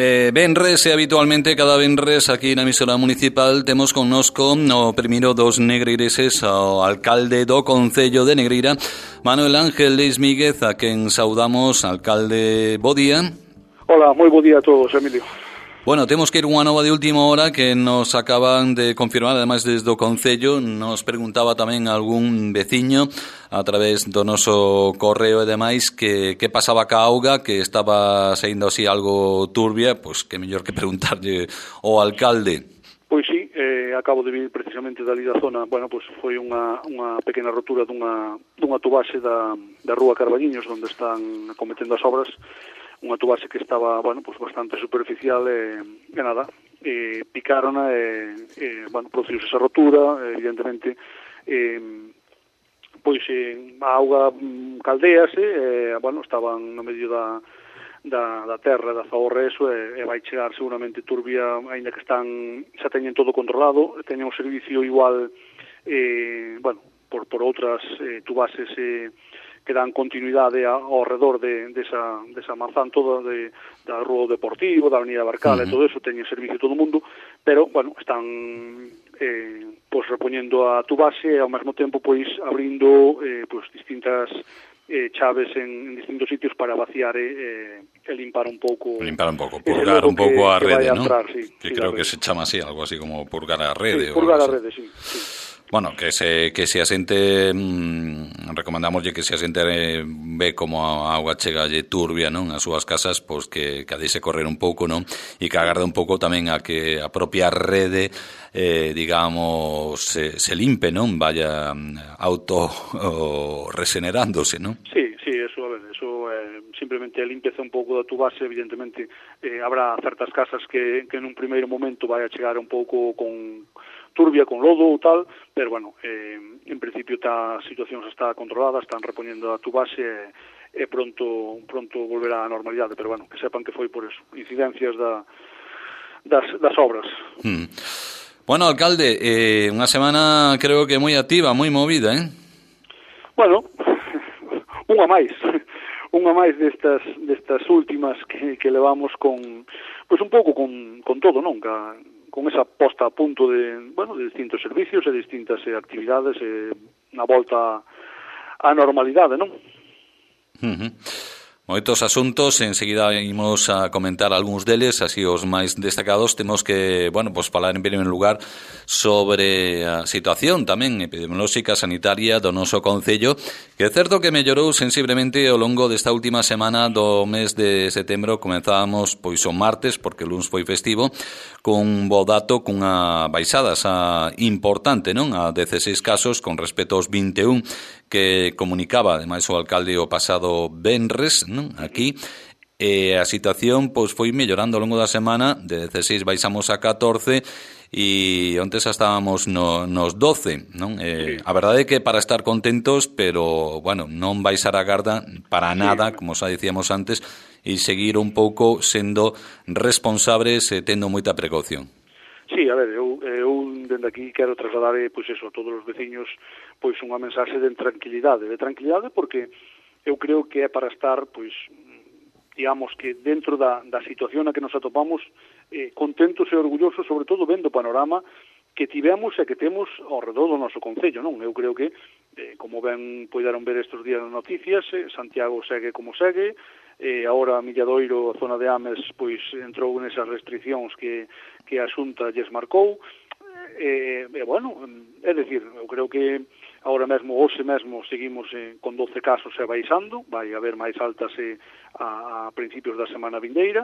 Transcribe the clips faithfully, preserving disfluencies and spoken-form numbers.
Eh, venres e habitualmente cada venres aquí na emisora municipal temos connosco o primeiro dos negreireses ao alcalde do Concello de Negreira, Manuel Ángel Leis Míguez, a quen saudamos. Alcalde, bo día. Hola, moi bo día a todos, Emilio. Bueno, temos que ir unha nova de última hora que nos acaban de confirmar, ademais desde o Concello. Nos preguntaba tamén algún veciño a través do noso correo e demais que que pasaba ca auga, que estaba saindo así algo turbia. Pois que mellor que preguntarlle ao alcalde. Pois sí, eh, acabo de vir precisamente dali da zona. Bueno, pois foi unha, unha pequena rotura dunha, dunha tubaxe da, da rúa Carballiños, onde están cometendo as obras. Unha tubaxe que estaba, bueno, pues bastante superficial e, e nada, e picárona e, e bueno, produciuse esa rotura, evidentemente, e, pois e, a auga caldease, e, bueno, estaban no medio da, da, da terra, da zaorra eso, e, e vai chegar seguramente turbia, aínda que están, xa teñen todo controlado, teñen un servicio igual, e, bueno, por, por outras eh, tubaxes e, que dan continuidade ao redor de, de esa, de esa manzán toda de, da Rúa Deportivo, da Avenida Barcal, uh-huh. E todo eso, teñen servicio todo o mundo, pero, bueno, están eh, pois repoñendo a tubaxe e ao mesmo tempo pois abrindo eh, pois distintas eh, chaves en, en distintos sitios para vaciar e, e limpar un pouco. Limpar un pouco, purgar un pouco a rede, ¿no? Entrar, sí, que sí, creo que se chama así, algo así como purgar a rede. Sí, purgar a rede, sí, sí. Bueno, que se que se asente, mmm, recomendamoslle que se asente eh, ve como a auga chegalle turbia, non, as súas casas, pois que, que a deixe correr un pouco, non, e que agarde un pouco tamén a que a propia rede, eh, digamos, se, se limpe, non, vaya auto o, regenerándose, non? Sí, sí, eso, a ver, eso eh, simplemente a limpeza un pouco da tubaxe, evidentemente, eh, habrá certas casas que, que en un primeiro momento vai a chegar un pouco con turbia, con lodo ou tal, pero, bueno, eh, en principio tá, a situación está controlada, están repoñendo a tubaxe e, e pronto pronto volverá á normalidade, pero, bueno, que sepan que foi por eso, incidencias da, das, das obras. Hmm. Bueno, alcalde, eh, unha semana creo que moi activa, moi movida, eh? Bueno, unha máis, unha máis destas destas últimas que, que levamos con, pois un pouco con, con todo, non? Ca, con esa posta a punto de, bueno, de distintos servicios e distintas eh, actividades e eh, na volta á normalidade, non? Uh-huh. Moitos asuntos, enseguida imos a comentar algúns deles, así os máis destacados. Temos que, bueno, pues falar en primeiro lugar sobre a situación tamén epidemiolóxica sanitaria do noso Concello, que é certo que mellorou sensiblemente ao longo desta última semana do mes de setembro. Comenzábamos pois o martes, porque o luns foi festivo, con un bo dato, cunha baixada xa importante, non? A dezseis casos con respecto aos vinte e un que comunicaba, ademais, o alcalde o pasado venres, non? Aquí, e a situación pois foi mellorando ao longo da semana. De dezseis baixamos a catorce e onte xa estábamos no, nos doce, non? Eh, a verdade é que para estar contentos, pero, bueno, non baixar a garda para nada, como xa dicíamos antes, e seguir un pouco sendo responsables e tendo moita precaución. Sí, a ver, eu, eu dende aquí quero trasladar, pois eso, a todos os veciños, pois unha mensaxe de tranquilidade, de tranquilidade porque eu creo que é para estar, pois, digamos que dentro da, da situación na que nos atopamos, eh, contentos e orgullosos, sobre todo vendo o panorama que tivemos e que temos ao redor do noso Concello, non? Eu creo que, eh, como ben poideron ver estes días nas noticias, eh, Santiago segue como segue, e agora a Milladoiro, a zona de Ames, pois entrou nesas restriccións que, que a Xunta lles marcou, e, e bueno, é dicir, eu creo que agora mesmo, hoxe mesmo, seguimos eh, con doce casos e baixando, vai haber máis altas eh, a, a principios da semana vindeira,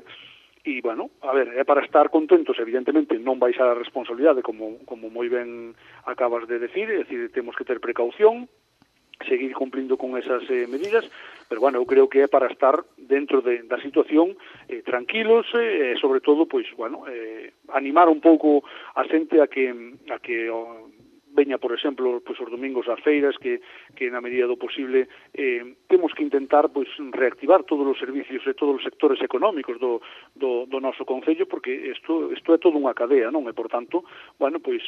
e, bueno, a ver, é para estar contentos, evidentemente, non baixar a responsabilidade, como, como moi ben acabas de decir, é dicir, temos que ter precaución, seguir cumplindo con esas eh, medidas, pero, bueno, eu creo que é para estar dentro de, da situación eh, tranquilos e, eh, sobre todo, pois, bueno, eh, animar un pouco a xente a que, a que oh, veña, por exemplo, pois, os domingos ás feiras, que, que na medida do posible eh, temos que intentar pois, reactivar todos os servicios e todos os sectores económicos do, do, do noso Concello, porque isto, isto é toda unha cadea, non? E, por tanto, bueno, pois,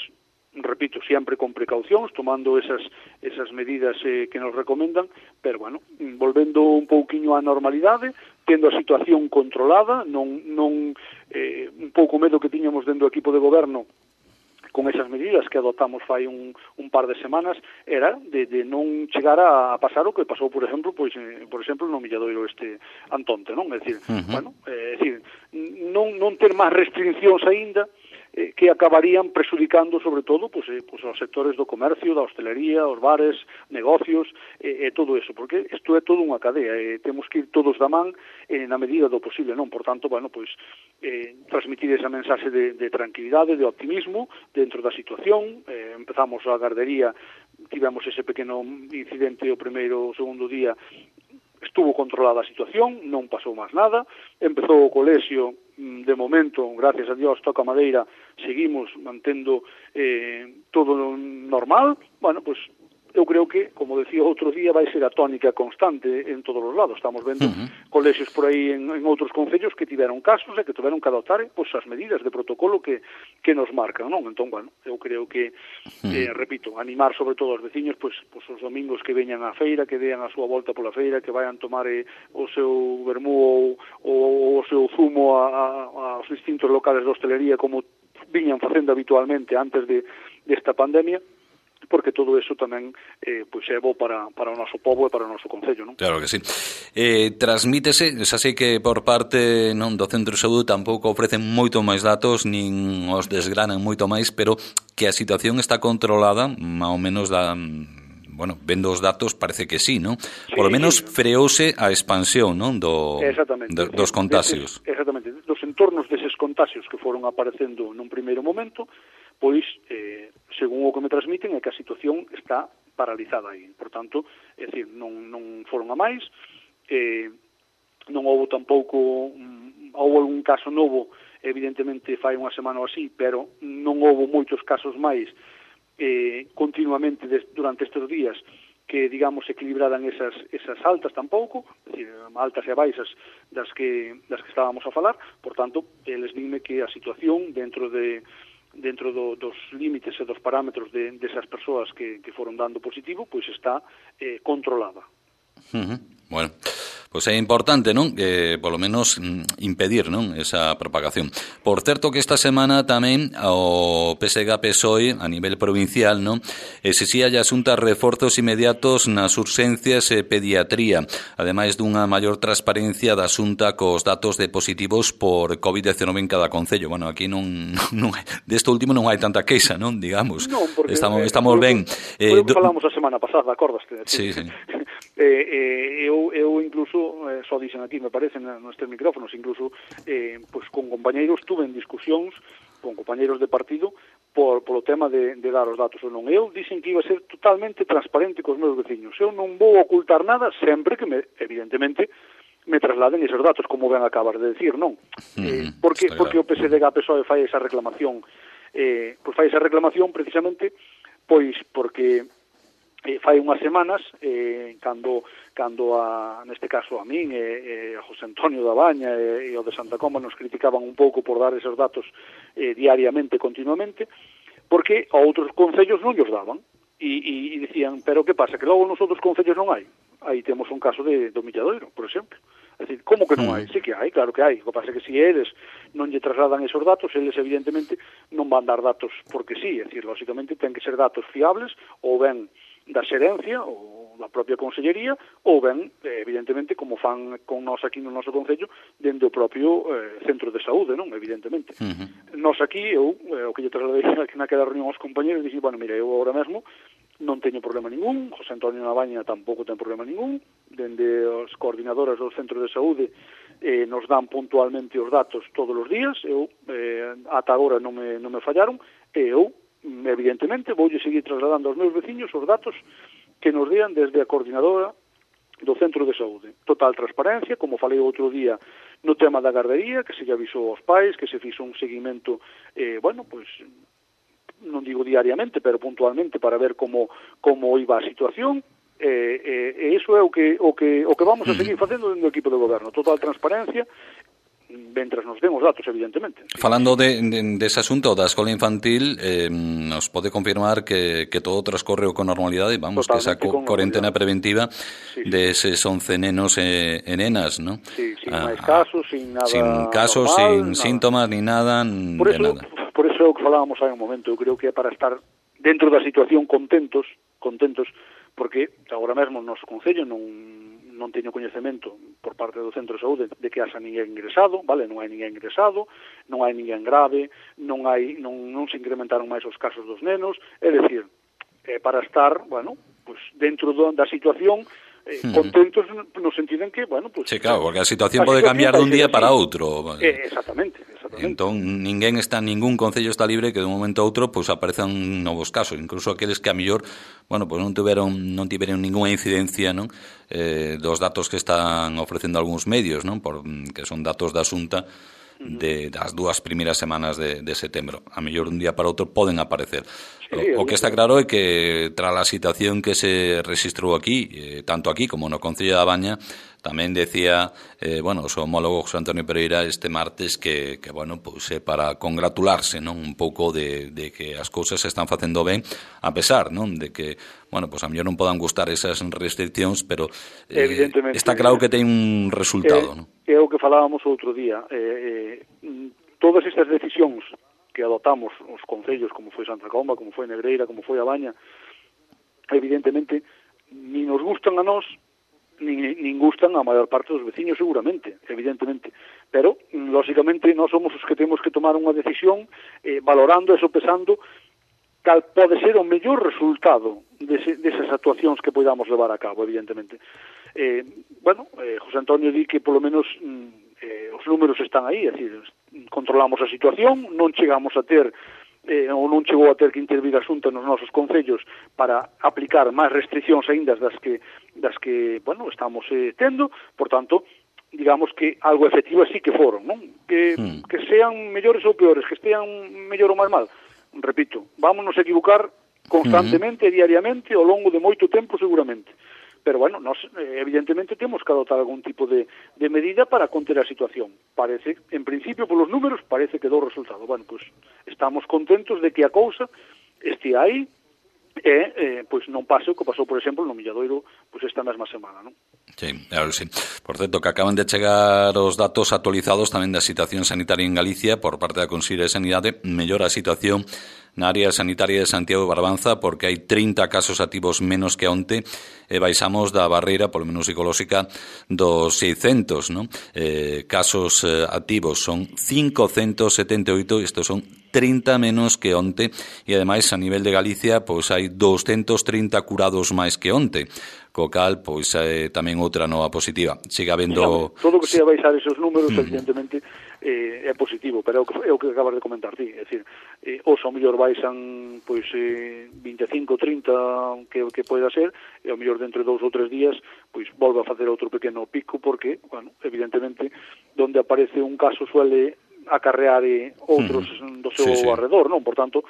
repito, sempre con precaucións, tomando esas esas medidas eh, que nos recomendan, pero, bueno, volvendo un pouquiño á normalidade, tendo a situación controlada, non non pouco medo que tiñamos dentro do equipo de goberno con esas medidas que adoptamos fai un, un par de semanas era de, de non chegar a, a pasar o que pasou, por exemplo, pois, eh, por exemplo, no Milladoiro este Antonte, non? É dicir, uh-huh. bueno, é dicir, non, non ter máis restriccións aínda eh, que acabarían presudicando, sobre todo, pois, eh, pois, aos sectores do comercio, da hostelería, os bares, negocios, e eh, eh, todo eso, porque isto é todo unha cadea, e eh, temos que ir todos da man eh, na medida do posible, non? Por tanto, bueno, pois, eh, transmitir esa mensaxe de, de tranquilidade, de optimismo dentro da situación. Eh, empezamos a gardería, tivemos ese pequeno incidente o primeiro ou segundo día, estuvo controlada a situación, non pasou máis nada, empezou o colexio, de momento, gracias a Dios, toca madeira, seguimos mantendo eh, todo normal. Bueno, pues eu creo que, como decía outro día, vai ser a tónica constante en todos os lados. Estamos vendo uh-huh. colexios por aí en, en outros concellos que tiveron casos e que tiveron que adoptar pois, as medidas de protocolo que, que nos marcan, non? Entón, bueno, eu creo que, uh-huh. eh, repito, animar sobre todo aos veciños, pois, pois os domingos que veñan á feira, que dean a súa volta pola feira, que vayan tomar eh, o seu vermú ou, ou o seu zumo a, a, aos distintos locales de hostelería como viñan facendo habitualmente antes de desta pandemia, porque todo eso tamén eh, pois é bo para, para o noso pobo e para o noso concello, non? Claro que sí. Eh, transmítese, xa sei que por parte non do Centro de Saúde tampouco ofrecen moito máis datos, nin os desgranan moito máis, pero que a situación está controlada, máis ou menos da... Bueno, vendo os datos parece que sí, non? Sí, por lo menos sí. freouse a expansión, non? Do, do, dos contagios. Deses, exactamente. Dos entornos deses contagios que foron aparecendo nun primeiro momento, pois, eh, según o que me transmiten, é que a situación está paralizada aí. Por tanto, é dicir, non, non foron a máis, eh, non houve tampouco, um, houve algún caso novo, evidentemente fai unha semana ou así, pero non houve moitos casos máis eh, continuamente des, durante estes días que, digamos, equilibraran esas, esas altas tampouco, é dicir, altas e baixas das que, das que estábamos a falar. Por tanto, eles dime que a situación dentro de dentro do, dos límites e dos parámetros de, desas persoas que, que foron dando positivo, pois está eh, controlada. Uh-huh. Bueno, pois é importante, non? Que, polo menos, impedir, non? Esa propagación. Por certo que esta semana tamén o P S G P S O E a nivel provincial, non? Exixía a Xunta reforzos inmediatos nas urxencias e pediatría, ademais dunha maior transparencia da Xunta cos datos de positivos por covid diecinueve en cada concello. Bueno, aquí non, non desto último non hai tanta queixa, non? Digamos. Non, porque estamos, eh, estamos ben. Eh, do... falamos a semana pasada, acordaste? Sí, sí. eh, eh, eu, eu incluso, eh, só dixen aquí, me parece, nestes micrófonos, incluso, eh, pois con compañeiros tuve en discusións con compañeiros de partido por, polo tema de, de dar os datos ou non. Eu dixen que iba a ser totalmente transparente cos meus veciños. Eu non vou ocultar nada sempre que, me, evidentemente, me trasladen esos datos, como ben acabas de decir, non? Mm, eh, porque, porque o P S D G P S O E fai esa reclamación, eh, pois fai esa reclamación precisamente pois porque Eh, fai unhas semanas, eh, cando, cando a, neste caso a min e, e a José Antonio da Baña e, e o de Santa Comba nos criticaban un pouco por dar esos datos eh, diariamente, continuamente, porque a outros concellos non os daban. E, e, e dicían, pero que pasa, que logo nos outros concellos non hai? Aí temos un caso de, do Milladoiro, por exemplo. É dicir, como que non hai? Sí que hai, claro que hai. O que pasa é que se eles non lle trasladan esos datos, eles evidentemente non van dar datos porque sí. É dicir, lógicamente ten que ser datos fiables ou ben da xerencia ou da propia consellería ou ben, evidentemente, como fan con nós aquí no noso concello, dende o propio eh, centro de saúde, non? Evidentemente. Uh-huh. Nós aquí, eu, eh, o que lle trasladei naquela reunión aos compañeros, dixi, bueno, mira, eu agora mesmo non teño problema ningún, José Antonio Nabaña tampouco ten problema ningún, dende as coordinadoras do centro de saúde eh, nos dan puntualmente os datos todos os días, eu, eh, ata agora non me, non me fallaron, e eu, evidentemente, voulle seguir trasladando aos meus veciños os datos que nos dean desde a coordinadora do centro de saúde. Total transparencia, como falei outro día no tema da gardería, que se lle avisou aos pais, que se fixo un seguimento, eh, bueno, pois, non digo diariamente, pero puntualmente para ver como como iba a situación, e eh, eh, iso é o que o que o que vamos a seguir facendo dentro do equipo de goberno. Total transparencia, mentras nos den os datos, evidentemente. Falando de, de, de ese asunto da escola infantil, eh, nos pode confirmar que, que todo transcorre con normalidade, vamos, Totalmente, que esa co cuarentena preventiva sí, sí. de eses once nenos e, e nenas, ¿no? Sí, sin ah, máis casos, sin nada sin casos, normal, sin nada. síntomas, ni nada, por de eso, nada. Por eso é o que falábamos hai un momento, eu creo que é para estar dentro da situación contentos, contentos, porque agora mesmo no noso concello non non teño coñecemento por parte do Centro de Saúde de que haxa ninguén ingresado, vale, non hai ninguén ingresado, non hai ninguén grave, non hai non, non se incrementaron máis os casos dos nenos, é dicir, é para estar, bueno, pues dentro do, da situación eh, contentos no sentido en que, bueno, pues sí, claro, porque a situación pode cambiar dun día para outro. Eh, exactamente, exactamente. Entón, ninguén está, ningún concello está libre que de un momento a outro pues aparezan novos casos, incluso aqueles que a mellor, bueno, pues non tiveron non tiveron ningunha incidencia, non? Eh, dos datos que están ofrecendo algúns medios, non? Por, que son datos da Xunta de das dúas primeiras semanas de, de setembro. A mellor un día para outro poden aparecer. Sí, o, o que está claro é que tras a situación que se registrou aquí, eh, tanto aquí como no Concello da Baña, tamén decía, eh, bueno, o seu homólogo José Antonio Pereira este martes que, que bueno, pois é para congratularse, non, un pouco de, de que as cousas se están facendo ben, a pesar, non, de que, bueno, pois a mellor non podan gustar esas restriccións, pero eh, está claro que ten un resultado, eh, non? É o que falábamos outro día, eh, eh, todas estas decisións que adoptamos os concellos, como foi Santa Comba, como foi Negreira, como foi a Baña, evidentemente, ni nos gustan a nós, nin, nin gustan a maior parte dos veciños seguramente, evidentemente, pero lógicamente nós somos os que temos que tomar unha decisión eh, valorando e sopesando cal pode ser o mellor resultado dese, desas actuacións que podamos levar a cabo, evidentemente. Eh, bueno, eh, José Antonio di que polo menos eh, os números están aí, é dicir, controlamos a situación, non chegamos a ter eh, ou non chegou a ter que intervir a Xunta nos nosos concellos para aplicar máis restriccións aínda das que das que, bueno, estamos eh, tendo, por tanto, digamos que algo efectivo sí que foron, non? Que, mm. que sean mellores ou peores, que estean mellor ou máis mal, repito, vámonos a equivocar constantemente e mm. diariamente ao longo de moito tempo seguramente. Pero, bueno, nos, evidentemente temos que adoptar algún tipo de, de medida para conter a situación. Parece, en principio, polos números, parece que dou resultado. Bueno, pues estamos contentos de que a cousa este aí e, eh, pois non pase o que pasou, por exemplo, no Milladoiro, pois esta mesma semana, non? Sí, claro, sí. Por certo, que acaban de chegar os datos actualizados tamén da situación sanitaria en Galicia por parte da Consellería de Sanidade. Mellora a situación na área sanitaria de Santiago de Barbanza porque hai trinta casos activos menos que onte e baixamos da barreira, polo menos psicolóxica, dos seiscentos, non? Eh, casos eh, activos son cincocentos setenta e oito, estes son trinta menos que onte e ademais a nivel de Galicia pois hai doscientos trinta curados máis que onte, co cal pois é tamén outra nova positiva. Siga habendo todo o que sea baixar esos números, mm. evidentemente eh, é positivo, pero é o que, é o que acabas de comentar ti, é dicir, eh, os ao mellor baixan pois eh, vinte e cinco, trinta que, que poida ser, e ao mellor dentro de dous ou tres días pois volve a facer outro pequeno pico porque, bueno, evidentemente donde aparece un caso suele acarrear eh, outros mm. do seu sí, sí. arredor, non? Por tanto,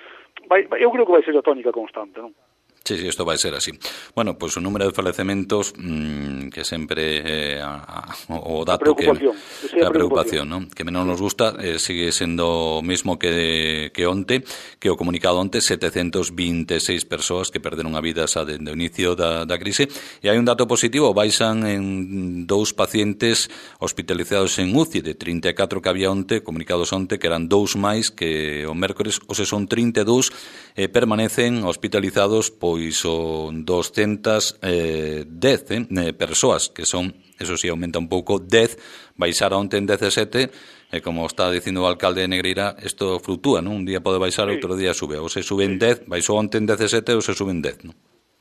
vai, eu creo que vai ser a tónica constante, non? Sí, sí, isto vai ser así. Bueno, pois pues, o número de falecementos mmm, que sempre eh, a, a, o dato a preocupación, que a preocupación, ¿no? Que menos nos gusta, eh, sigue sendo o mismo que que onte, que o comunicado onte, setecentos vinte e seis persoas que perderon a vida xa dende o inicio da, da crise, e hai un dato positivo, baixan en dous pacientes hospitalizados en U C I de trinta e catro que había onte, comunicados onte, que eran dous máis que o mércores, ou se son trinta e dous, eh, permanecen hospitalizados pois son doscientas dez eh, eh, persoas, que son, eso sí, aumenta un pouco, dez, baixar onte en dezasete, e como está dicindo o alcalde de Negreira, isto fluctúa, non? Un día pode baixar, sí. Outro día sube, ou se sube en dez, baixou onte en dezasete, ou se sube en dez, non?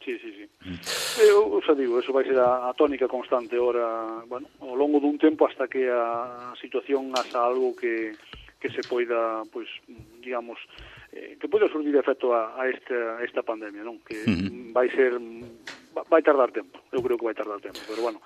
Sí, sí, sí. Mm. Eu xa digo, eso vai ser a, a tónica constante ora, bueno, ao longo dun tempo hasta que a situación haxa algo que, que se poida, pois, digamos, eh, que pode surgir efecto a, a, esta, a esta pandemia, non? Que uh-huh. vai ser, vai tardar tempo, eu creo que vai tardar tempo, pero bueno,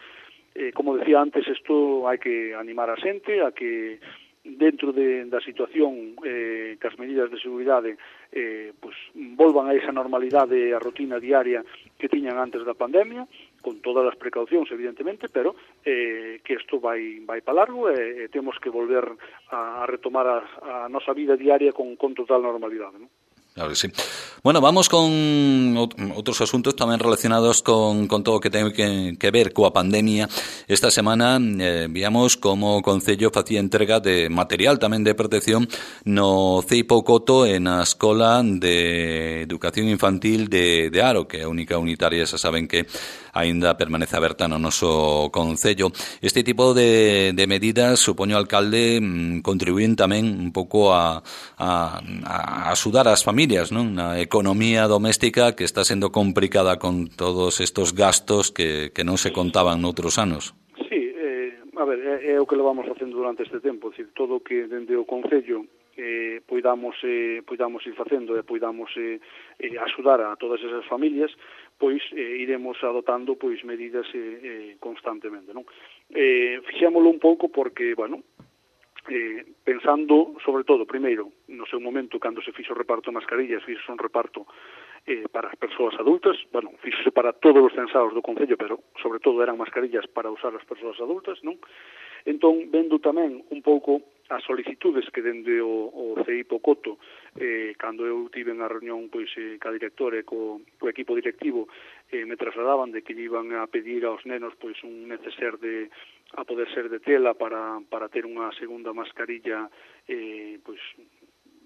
eh, como decía antes, isto hai que animar a xente, a que dentro de, da situación eh, que as medidas de seguridade eh, pues, volvan a esa normalidade, a rutina diaria que tiñan antes da pandemia, con todas as precaucións, evidentemente, pero eh, que isto vai, vai para largo e, e temos que volver a, a retomar a, a nosa vida diaria con, con total normalidade, non? Claro que sí. Bueno, vamos con outros asuntos tamén relacionados con, con todo o que ten que, que ver coa pandemia. Esta semana eh, víamos como o Concello facía entrega de material tamén de protección no Ceipo Coto e na Escola de Educación Infantil de, de Aro, que é a única unitaria, xa saben que aínda permanece aberta no noso Concello. Este tipo de, de medidas, supoño, alcalde, contribuín tamén un pouco a, a, a axudar as familias, non? Na economía doméstica que está sendo complicada con todos estos gastos que, que non se contaban noutros anos. Sí, eh, a ver, é, é o que levamos facendo durante este tempo, é dicir, todo o que dende o Concello eh, poidamos, eh, poidamos ir facendo e poidamos eh, eh, axudar a todas esas familias, pois eh, iremos adotando pois medidas eh, eh, constantemente, non? Eh, fixémolo un pouco porque, bueno, eh, pensando, sobre todo, primeiro, no seu momento, cando se fixo o reparto de mascarillas, fixo un reparto eh, para as persoas adultas, bueno, fixose para todos os censados do Concello, pero, sobre todo, eran mascarillas para usar as persoas adultas, non? Entón, vendo tamén un pouco as solicitudes que dende o, o Ceipo Coto, eh, cando eu tive a reunión pois, eh, ca directora e co, co equipo directivo, eh, me trasladaban de que iban a pedir aos nenos pois, un neceser de, a poder ser de tela para, para ter unha segunda mascarilla eh, pois,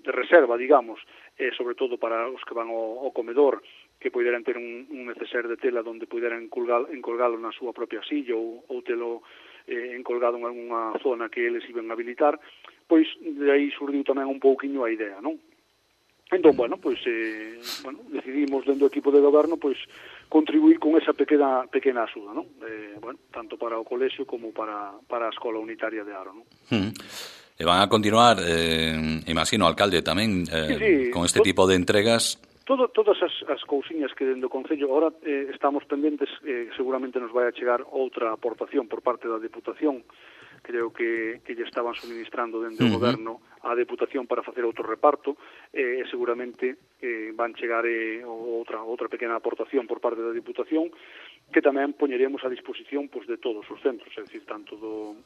de reserva, digamos, eh, sobre todo para os que van ao, ao comedor, que poderan ter un, un neceser de tela onde poderan encolgalo, encolgalo na súa propia silla ou, ou telo eh, encolgado en alguna zona que eles iban a habilitar, pois de aí surdiu tamén un pouquiño a idea, non? Entón, bueno, pois eh, bueno, decidimos dentro do equipo de goberno pois contribuir con esa pequena pequena axuda, non? Eh, bueno, tanto para o colexio como para, para a escola unitaria de Aro, non? Mm. E van a continuar, eh, imagino, alcalde tamén, eh, sí, sí, con este tipo de entregas. Todo, todas as, as cousiñas que dentro do Concello ahora eh, estamos pendentes, eh, seguramente nos vai a chegar outra aportación por parte da Deputación, creo que, que lle estaban suministrando dentro do uh -huh. goberno a Deputación para facer outro reparto, e eh, seguramente eh, van chegar eh, outra, outra pequena aportación por parte da Deputación, que tamén poñeremos a disposición pues, de todos os centros, é dicir, tanto do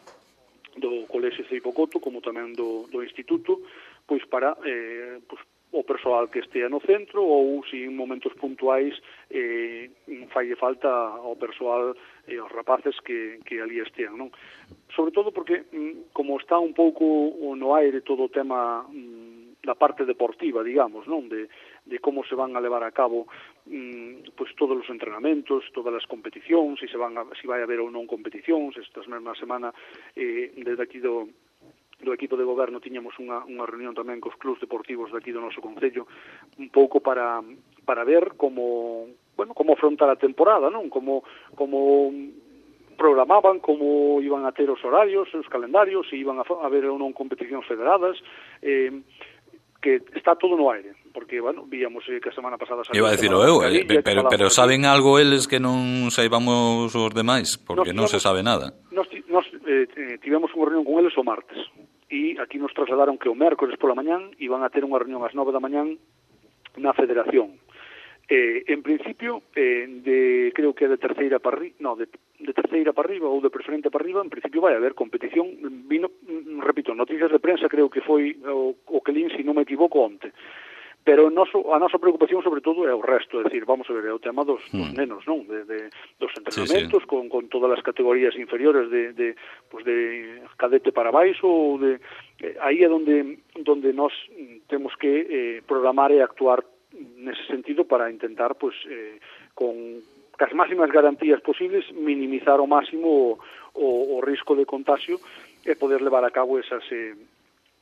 do Colexio Ceipo Coto como tamén do, do Instituto, pois para eh, pois, o persoal que estea no centro ou se en momentos puntuais eh, falle falta ao persoal e eh, aos rapaces que, que ali estean, non? Sobre todo porque, como está un pouco no aire todo o tema da parte deportiva, digamos, non? De, de como se van a levar a cabo mm, pues todos os entrenamentos, todas as competicións, se se van a, se vai haber ou non competicións. Esta mesma semana eh, desde aquí do do equipo de goberno tiñamos unha, unha reunión tamén cos clubs deportivos de aquí do noso Concello, un pouco para para ver como, bueno, como afrontar a temporada, non? Como como programaban, como iban a ter os horarios, os calendarios, se iban a haber ou non competicións federadas, eh, que está todo no aire, porque, bueno, víamos eh, que a semana pasada salió... Iba a decirlo eu, eh, pero, pero saben algo eles que non saibamos os demais, porque non se sabe nada. Nos, nos eh, tivemos unha reunión con eles o martes, e aquí nos trasladaron que o mércores pola mañán iban a ter unha reunión ás nove da mañán na Federación. Eh, en principio, eh, de, creo que de terceira para arriba, no, de, de terceira para arriba ou de preferente para arriba, en principio vai haber competición. Vino, repito, noticias de prensa creo que foi o, o que lín, se non me equivoco, onte. Pero noso, a nosa preocupación sobre todo é o resto, é dicir, vamos a ver, é o tema dos, mm. dos nenos, non? De, de, dos entrenamentos, sí, sí. Con, con todas as categorías inferiores de, de, pues de cadete para baixo, ou de, eh, aí é donde, donde nós temos que eh, programar e actuar nese sentido para intentar, pues, eh, con as máximas garantías posibles, minimizar ao máximo o, o, o risco de contagio e poder levar a cabo esas... Eh,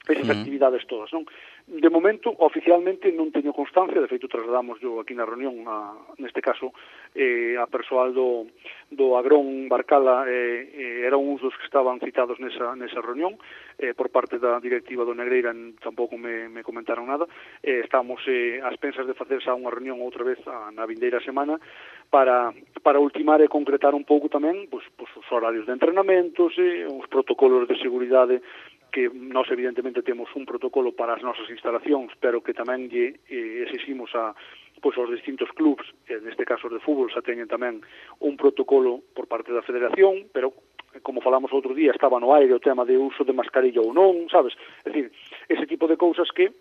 esas uh -huh. actividades todas, non? De momento, oficialmente, non teño constancia, de feito, trasladamos yo aquí na reunión, a, neste caso, eh, a persoal do, do Agrón Barcala, eh, eh, eran uns dos que estaban citados nesa, nesa reunión, eh, por parte da directiva do Negreira, tampouco me, me comentaron nada, eh, estamos eh, ás pensas de facer xa unha reunión outra vez a, na vindeira semana, para, para ultimar e concretar un pouco tamén pues, pues, os horarios de entrenamentos, eh, os protocolos de seguridade que nós evidentemente temos un protocolo para as nosas instalacións, pero que tamén lle eh, exiximos a pois aos distintos clubs, neste caso de fútbol, xa teñen tamén un protocolo por parte da federación, pero como falamos outro día, estaba no aire o tema de uso de mascarilla ou non, sabes? É dicir, ese tipo de cousas que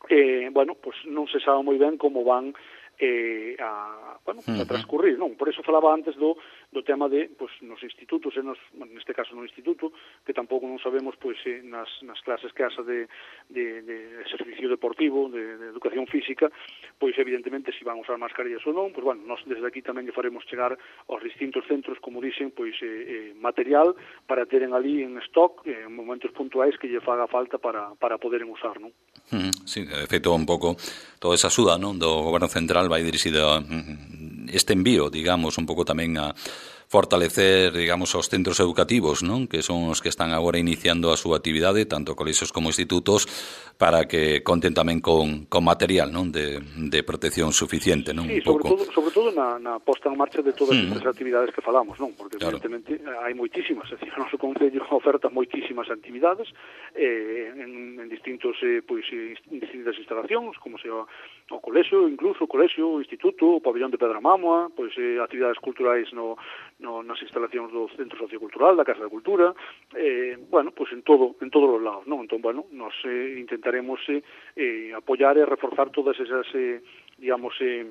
eh, bueno, pues non se sabe moi ben como van eh, a, bueno, a transcurrir, non? Por eso falaba antes do, do tema de, pues, nos institutos, e nos, bueno, neste caso no instituto, que tampouco non sabemos, pois, eh, nas, nas clases que haxa de, de, de exercicio deportivo, de, de educación física, pois, evidentemente, se si van usar mascarillas ou non, pois, bueno, nós desde aquí tamén lle faremos chegar aos distintos centros, como dicen, pois, eh, eh, material para teren ali en stock, eh, en momentos puntuais que lle faga falta para, para poderen usar, non? Sí, de feito, un pouco toda esa axuda, non, do Goberno Central vai dirixida este envío, digamos, un pouco tamén a fortalecer, digamos, os centros educativos, non? Que son os que están agora iniciando a súa actividade, tanto colexios como institutos, para que conten tamén con, con material, non? De, de protección suficiente, non? Sí, un sobre pouco. todo, sobre todo na, na posta en marcha de todas mm. estas actividades que falamos, non? Porque, claro, evidentemente, hai moitísimas, é dicir, o noso Concello oferta moitísimas actividades eh, en, en distintos, eh, pois, en distintas instalacións, como sea o colexio, incluso o colexio, o instituto, o pabellón de Pedra Mámoa, pois, eh, actividades culturais no No, nas instalacións do Centro Sociocultural, da Casa da Cultura, eh, bueno, pois en todo, en todos os lados, non? Entón, bueno, nos eh, intentaremos eh, eh, apoiar e reforzar todas esas, eh, digamos, eh,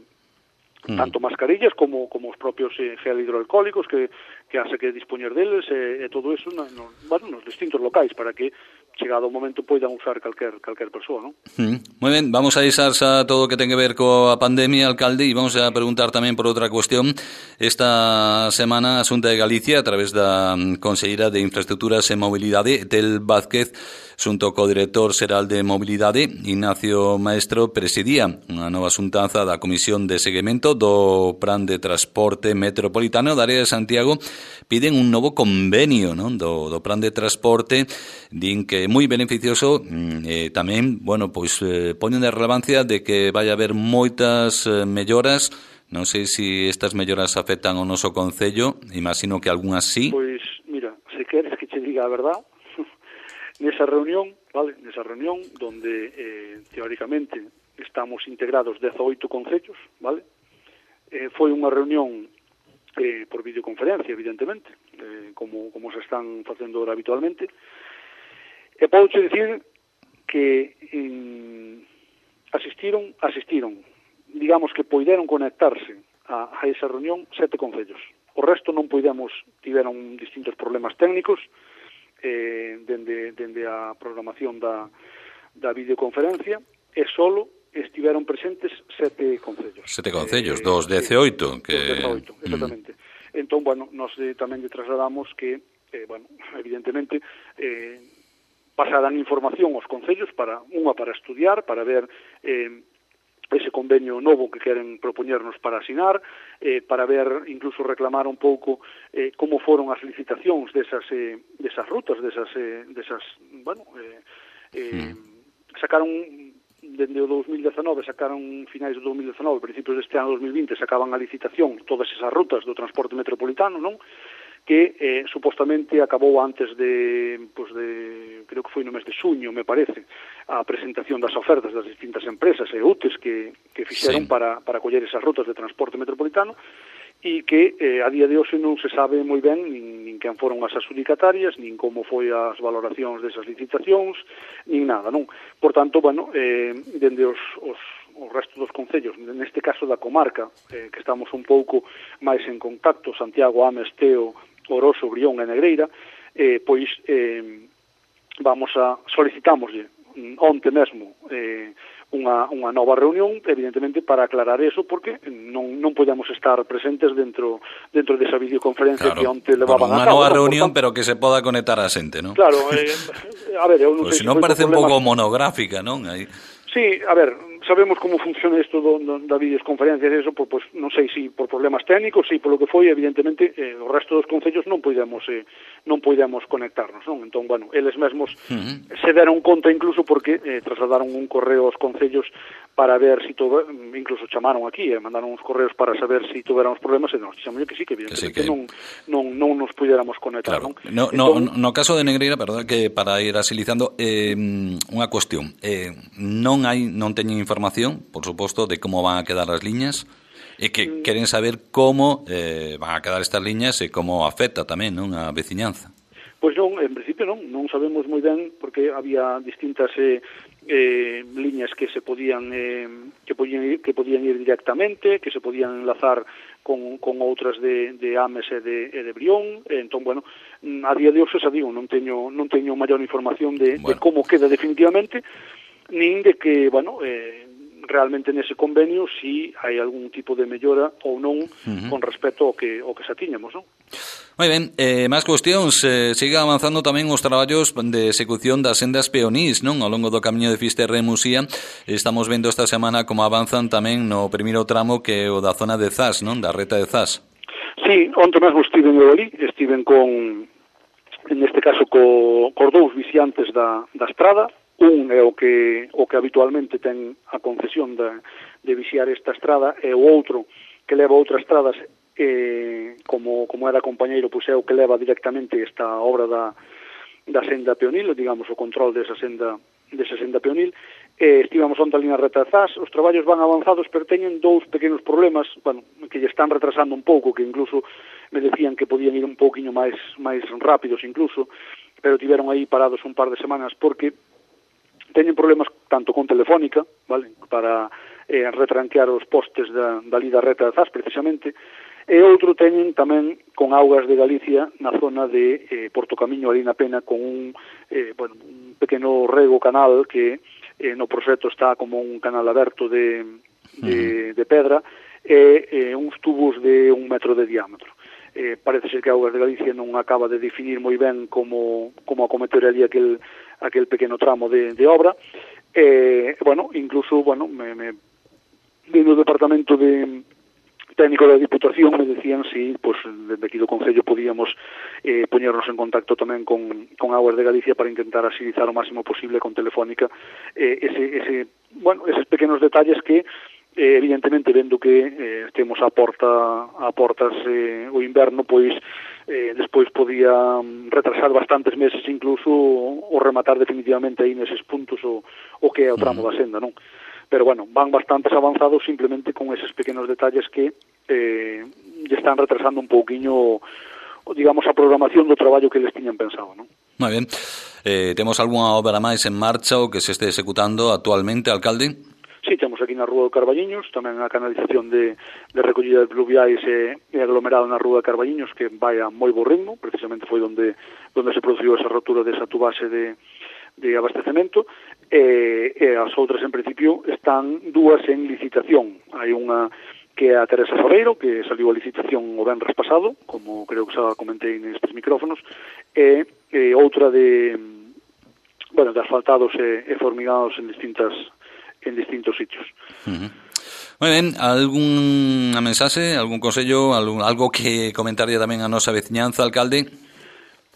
mm. tanto mascarillas como como os propios eh, gel hidroalcohólicos que, que hace que dispoñer deles e eh, todo eso no, no, bueno, nos distintos locais para que chegado o momento poidan usar calquer calquer persoa, non? Mm. Moi ben, vamos a deixar xa todo o que ten que ver coa pandemia, alcalde, e vamos a preguntar tamén por outra cuestión. Esta semana a Xunta de Galicia, a través da Conselleira de Infraestructuras e Mobilidade, Tel Vázquez, xunto co director xeral de Mobilidade, Ignacio Maestro, presidía unha nova xuntanza da Comisión de Seguimento do Plan de Transporte Metropolitano da área de Santiago. Piden un novo convenio, non? Do, do Plan de Transporte, din que é moi beneficioso, eh, tamén, bueno, pois eh, poñen de relevancia de que vai haber moitas eh, melloras. Non sei se estas melloras afectan ao noso Concello, imagino que algunhas sí. Pois, mira, se queres que che diga a verdad, nesa reunión, vale, nesa reunión donde eh, teóricamente estamos integrados dezaoito concellos, vale? Eh, foi unha reunión eh, por videoconferencia, evidentemente, eh, como, como se están facendo habitualmente. E podo che dicir que eh, asistiron, asistiron, digamos que poideron conectarse a, a esa reunión sete concellos. O resto non poidemos, tiveron distintos problemas técnicos, eh, dende, dende a programación da, da videoconferencia, e solo estiveron presentes sete concellos. Sete concellos, eh, dos dezaoito. Que... Dos dezaoito, exactamente. Mm. Entón, bueno, nos eh, tamén lle trasladamos que, eh, bueno, evidentemente, eh, pasarán información aos concellos para, unha para estudiar, para ver eh, ese convenio novo que queren propoñernos para asinar, eh, para ver, incluso reclamar un pouco eh, como foron as licitacións desas, eh, desas rutas, desas, eh, desas bueno, eh, eh, mm. sacaron, dende o dos mil dezenove, sacaron finais do dos mil dezenove, principios deste ano dos mil vinte, sacaban a licitación todas esas rutas do transporte metropolitano, non? Que eh, supostamente acabou antes de, pues de, creo que foi no mes de xuño, me parece, a presentación das ofertas das distintas empresas e U T Es que, que fixeron sí. para, para coller esas rutas de transporte metropolitano e que eh, a día de hoxe non se sabe moi ben nin, nin quen foron as adxudicatarias, nin como foi as valoracións desas licitacións, nin nada, non? Por tanto, bueno, eh, dende os, os o resto dos concellos, neste caso da comarca, eh, que estamos un pouco máis en contacto, Santiago, Ames, Teo, Oroso, Brión e Negreira, eh, pois eh, vamos a solicitámoslle onte mesmo eh, unha, unha nova reunión, evidentemente para aclarar eso, porque non, non podemos estar presentes dentro dentro desa videoconferencia claro, que onte levaban a cabo. Unha nova reunión, tanto, pero que se poda conectar a xente, non? Claro, eh, a ver, eu non pues sei se non si parece un problemas... pouco monográfica, non? Aí... Sí, a ver, sabemos como funciona isto do, do, da videoconferencia e eso, pues, pues, non sei se si por problemas técnicos, se si polo que foi, evidentemente, eh, o resto dos concellos non podemos eh, non podemos conectarnos, non? Entón, bueno, eles mesmos uh-huh. se deron conta incluso porque eh, trasladaron un correo aos concellos para ver si todo, incluso chamaron aquí e eh, mandaron uns correos para saber si tuveramos problemas e nos dixemos que sí, que evidentemente que sí, que... non, non, non nos pudiéramos conectar, claro. non? No, entón... no, no caso de Negreira, perdón, que para ir asilizando, eh, unha cuestión, eh, non hai, non teñen información, por suposto, de como van a quedar as liñas, e que mm. queren saber como eh, van a quedar estas liñas e como afecta tamén, non, a veciñanza. Pois non, en principio non, non sabemos moi ben porque había distintas eh, eh, liñas que se podían eh, que podían ir, que podían ir directamente, que se podían enlazar con, con outras de, de Ames e de, e de Brión, e entón, bueno, a día de hoxe, xa digo, non teño, non teño maior información de, bueno. de como queda definitivamente, nin de que, bueno, eh, realmente nese convenio si hai algún tipo de mellora ou non uh-huh. con respecto ao que, ao que xa tiñamos, non? Moi ben, eh, máis cuestións, eh, siga avanzando tamén os traballos de execución das sendas peonís, non? Ao longo do camiño de Fisterra e Musía, estamos vendo esta semana como avanzan tamén no primeiro tramo que é o da zona de Zas, non? Da reta de Zas. Sí, onte mesmo estiven eu ali, estiven con, en este caso, co, cos dous viciantes da, da estrada. Un é o que o que habitualmente ten a concesión de, de vixiar esta estrada, e o outro que leva outras estradas, eh, como, como era compañeiro, pois é o que leva directamente esta obra da, da senda peonil, digamos, o control desa senda, desa senda peonil. Eh, estivamos onde ali na reta de Zas, os traballos van avanzados, pero teñen dous pequenos problemas, bueno, que lle están retrasando un pouco, que incluso me decían que podían ir un pouquiño máis máis rápidos incluso, pero tiveron aí parados un par de semanas porque teñen problemas tanto con Telefónica, vale, para eh, retranquear os postes da, da lida reta de Zas, precisamente, e outro teñen tamén con Augas de Galicia na zona de eh, Porto Camiño, ali na Pena, con un, eh, bueno, un pequeno rego canal que eh, no proxecto está como un canal aberto de, de, de pedra e eh, uns tubos de un metro de diámetro. Eh, parece ser que Augas de Galicia non acaba de definir moi ben como, como acometer ali aquel, aquel pequeno tramo de, de obra. Eh, bueno, incluso, bueno, me, me, dentro do departamento de técnico da Diputación me decían si, pues, desde aquí do Concello podíamos eh, poñernos en contacto tamén con, con Augas de Galicia para intentar asilizar o máximo posible con Telefónica eh, ese, ese, bueno, eses pequenos detalles que Eh, evidentemente, vendo que eh, estemos a porta a portas eh, o inverno, pois eh, despois podía retrasar bastantes meses incluso o rematar definitivamente aí neses puntos o, o que é o tramo da senda, non? Pero, bueno, van bastantes avanzados simplemente con eses pequenos detalles que eh, lle están retrasando un pouquiño, digamos, a programación do traballo que les tiñan pensado, non? Moi ben. Eh, temos algunha obra máis en marcha ou que se este executando actualmente, alcalde? Sí, temos aquí na Rúa de Carballiños, tamén a canalización de, de recollida de pluviais e, e aglomerado na Rúa de Carballiños, que vai a moi bo ritmo, precisamente foi onde, onde se produciu esa rotura desa tubase de, de abastecemento, e, e as outras, en principio, están dúas en licitación. Hai unha que é a Teresa Sabeiro, que saliu a licitación o venres pasado, como creo que xa comentei nestes micrófonos, e, e outra de, bueno, de asfaltados e, e formigados en distintas en distintos sitios. Uh-huh. Moi ben, algunha mensaxe, algún consello, algún, algo que comentaría tamén a nosa veciñanza, alcalde?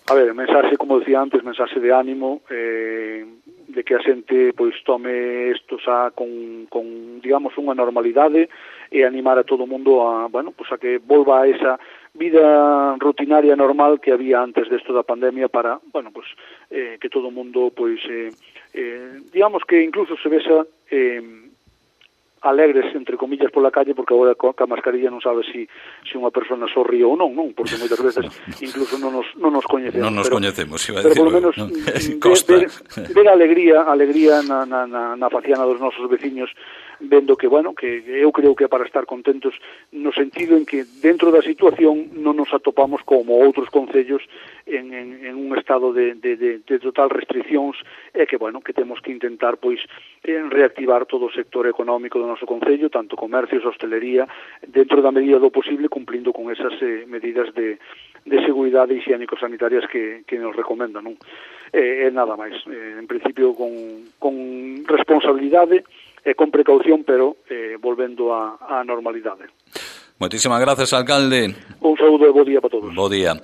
A ver, mensaxe, como decía antes, mensaxe de ánimo, eh, de que a xente pois tome isto xa con, con, digamos, unha normalidade e animar a todo o mundo a, bueno, pois a que volva a esa vida rutinaria normal que había antes desto da pandemia para, bueno, pois eh, que todo o mundo pois eh, eh, digamos que incluso se vexa eh, alegres, entre comillas, pola calle, porque agora coa mascarilla non sabe si, si unha persona sorríe ou non, non, porque moitas veces incluso non nos, non nos coñecemos. Non nos pero, coñecemos, iba a pero decir. Pero polo menos ¿no? ver, ver, ver a alegría, alegría na, na, na, na faciana dos nosos veciños, vendo que, bueno, que eu creo que é para estar contentos no sentido en que dentro da situación non nos atopamos como outros concellos en, en, en un estado de, de, de, de total restriccións e que, bueno, que temos que intentar, pois, en reactivar todo o sector económico do noso concello, tanto comercios, hostelería, dentro da medida do posible, cumplindo con esas eh, medidas de, de seguridade higiénico-sanitarias que, que nos recomendan, non? E eh, nada máis. Eh, en principio, con, con responsabilidade, e con precaución, pero eh, volvendo á normalidade. Moitísimas grazas, alcalde. Un saúdo e bo día para todos. Bo día.